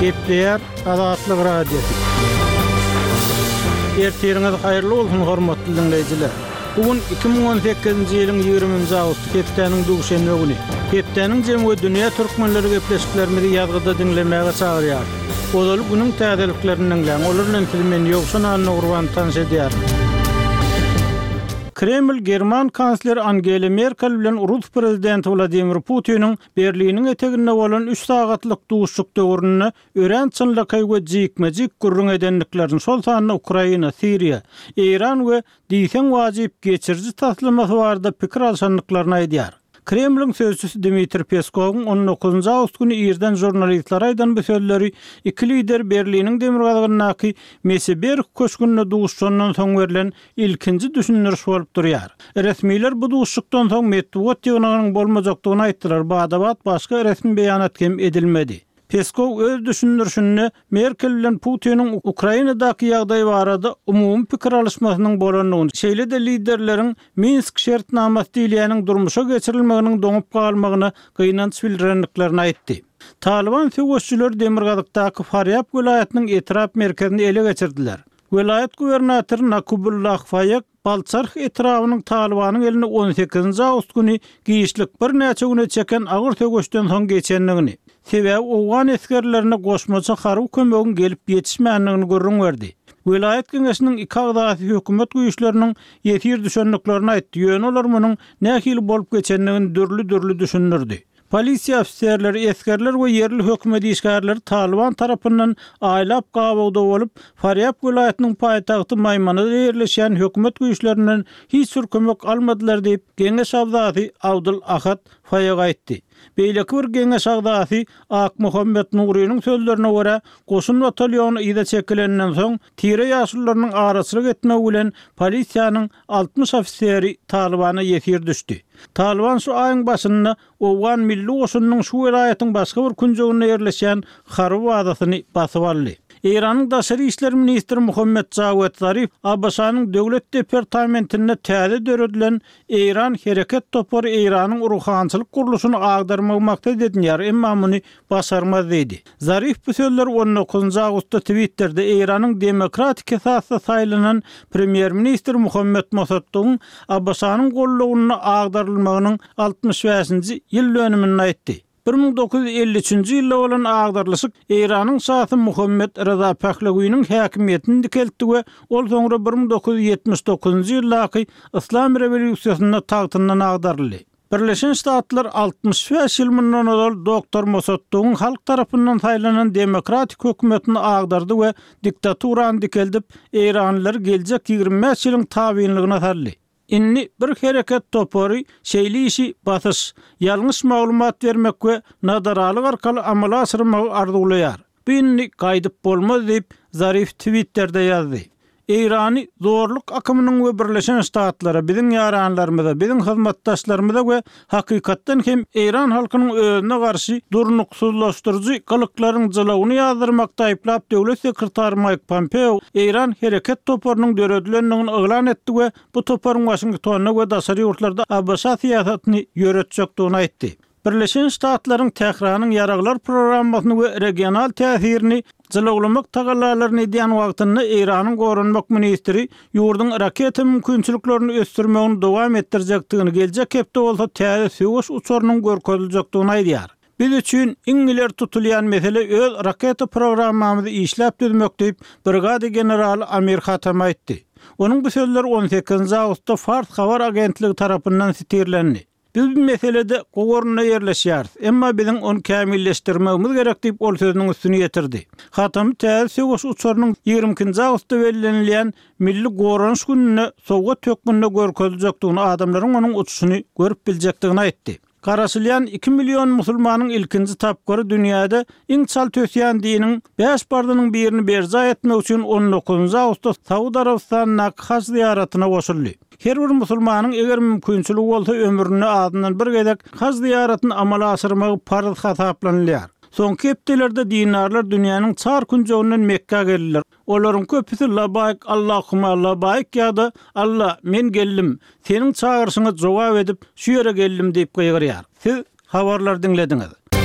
Gepleýär Azatlyk Radiosy. Ertiriňiz haýyrly bolsun, hormatly diňleýjiler! Bu gün 2018-nji ýylyň 20-nji awgusty, hepdäniň duşenbe güni. Hepdäniň jemi we dünýä türkmenleri gepleşiklerimizi ýazgyda diňlemäge çagyrýarys. Ozaly günüň täzeliklerini diňläň, olar bilen sizi men, Ýowşan Annagurban, tanyş edýärin. Kreml german kansleri Angela Merkel bilen rus prezidenti Wladimir Putiniň Berliniň eteginde bolan üç sagatlyk duşuşyk döwründe örän çynlakaý we jikme-jik gürrüň edendiklerini, şol sanda Ukraina, Siriýa, Eýran we diýseň wajyp geçiriji taslamasy barada pikir alşandyklaryny aýdýar. Kremliň sözçüsi Dmitriý Peskowyň on dokuzynjy awgust güni irden žurnalistlere aýdan bu sözleri iki lider Berliniň demirgazygyndaky Meseberg köşgünde duşuşandan soň berlen ilkinji düşündiriş bolup durýar. Resmiler bu duşuşykdan soň metbugat ýygnagynyň bolmajakdygyny aýtdylar, bada-bat başga resmi beýanat hem edilmedi. Peskow öz düşündirişinde Merkel bilen Putiniň Ukrainadaky ýagdaý barada umumy pikir alyşmasynyň bolandygyny, şeýle-de liderleriň Minsk şertnamasy diýilýäniň durmuşa geçirilmeginiň doňup galmagyna gynanç bildirendiklerini aýtdy. Talyban söweşijileri demirgazykdaky Farýab welaýatynyň etrap merkezini ele geçirdiler. Welaýat gubernatory Nakubullah Faýek Balçarh etrabynyň Talybanyň eline on sekizinji awgust güni giçlik birnäçe güne çeken agyr söweşden soň geçendigini, sebäbi owgan esgerlerine goşmaça harby kömegiň gelip ýetişmändigini gürrüň berdi. Welaýat geňeşiniň iki agzasy hökümet güýçleriniň ýesir düşendiklerini aýtdy, ýöne olar munuň nähili bolup geçendigini dürli-dürli düşündirdi. Polisiýa ofiserleri, esgerler we ýerli hökümet işgärleri Talyban tarapyndan aýlap gabawda bolup, Farýab welaýatynyň paýtagty Maýmanada ýerleşýän hökümet güýçlerinden hiç bir kömek almadylar diýip, geňeş agzasy Abdul Ahad Faýag aýtdy. Beýleki bir geňeş agzasy Akmuhammet Nurynyň sözlerine görä, goşun batalýony yza çekilenden soň, tire ýaşulularynyň araçylyk etmegi bilen polisiýanyň 60 ofiseri Talybana ýesir düşdi. Talyban şu aýyň başynda owgan milli goşunynyň şu welaýatyň başga bir künjeginde ýerleşýän harby bazasyny basyp aldy. Eýranyň daşary işler ministri Muhammet Jawed Zarif ABŞ-nyň Döwlet departamentinde täze döredilen Eýran hereket topary Eýranyň ruhançylyk gurluşyny agdarmagy maksat edinýär, emma muny başarmaz diýdi. Zarif bu sözleri on dokuzynjy awgustda Twitterde Eýranyň demokratik esasda saýlanan premýer-ministri Muhammet Mossaddygyň ABŞ-nyň gollawynda agdarylmagynyň 65-nji ýyl dönüminde aýtdy. 1953-nji ýylda bolan agdarylyşyk Eýranyň şasy Muhammet Reza Pehlewiniň häkimiýetini dikeltdi we ol soňra 1979-njy ýyldaky Yslam rewolýusiýasynda tagtyndan agdaryldy. Birleşen Ştatlar 65 ýyl mundan ozal doktor Mossaddygyň halk tarapyndan saýlanan demokratik hökümetini agdardy we diktaturany dikeldip, eýranlylary geljek 25 ýylyň tabynlygyna saldy. Indi bir hereket topary şeýle işi basyş, ýalňyş maglumat bermek we nadaralyk arkaly amala aşyrmagy arzuwlaýar. Bu indi gaýdyp bolmaz diýip, Zarif Twitterde ýazdy. Eýrany zorluk akymynyň we Birleşen Ştatlara, biziň ýaranlarymyza, biziň hyzmatdaşlarymyza we hakykatdan hem eýran halkynyň özüne garşy durnuksyzlaşdyryjy gylyklaryň jylawyny ýazdyrmakda aýyplap döwlet sekretary Maýk Pompeo Eýran hereket toparynyň döredilendigini yglan etdi we bu toparyň Waşingtonda we daşary ýurtlarda ABŞ syýasatyny ýöretjekdigini aýtdy. Birleşen Ştatlaryň Tähranyň ýaraglar programmasyny we regional täsirini jylawlamak tagallalaryny edýän wagtynda Eýranyň goranmak ministri ýurduň raketa mümkinçiliklerini ösdürmegini dowam etdirjekdigini, geljek hepde bolsa täze söweş uçarynyň görkeziljekdigini aýdýar. Biz üçin iň ileri tutulýan mesele öz raketa programmamyzy işläp düzmek diýip, brigada generaly Amir Hatami aýtdy. Onuň bu sözleri on sekizinji awgustda Fars habar agentligi tarapyndan sitirlendi. Biz bu meselede gowy orunda ýerleşýäris, emma biziň ony kämilleşdirmegimiz gerek diýip, ol sözüniň üstüni ýetirdi. Hatamy täze söweş uçarynyň 22 nji awgustda bellenilýän Milli goranyş gününde sowgat hökmünde görkeziljekdigini, adamlaryň onuň uçuşyny görüp biljekdigini aýtdy. Garaşylýan iki million musulmanyň ilkinji tapgyry dünýäde iň çalt ösýän diniň bäş parzynyň birini berjaý etmek üçin on dokuzynjy awgustda Saud Arabystanyndaky haj zyýaratyna goşuldy. Her bir musulmanyň eger mümkinçiligi bolsa ömründe azyndan bir gezek haj zyýaratyny amala aşyrmagy parz hasaplanylýar. Soňky hepdelerde dindarlar dünýäniň çar künjeginden Mekgä geldiler. Olaryň köpüsi Labaýk Allahuma labaýk ýa-da Alla, men geldim, Seniň çagyryşyňa jogap edip, şu ýere geldim diýip gygyrýar. Siz habarlary diňlediňiz.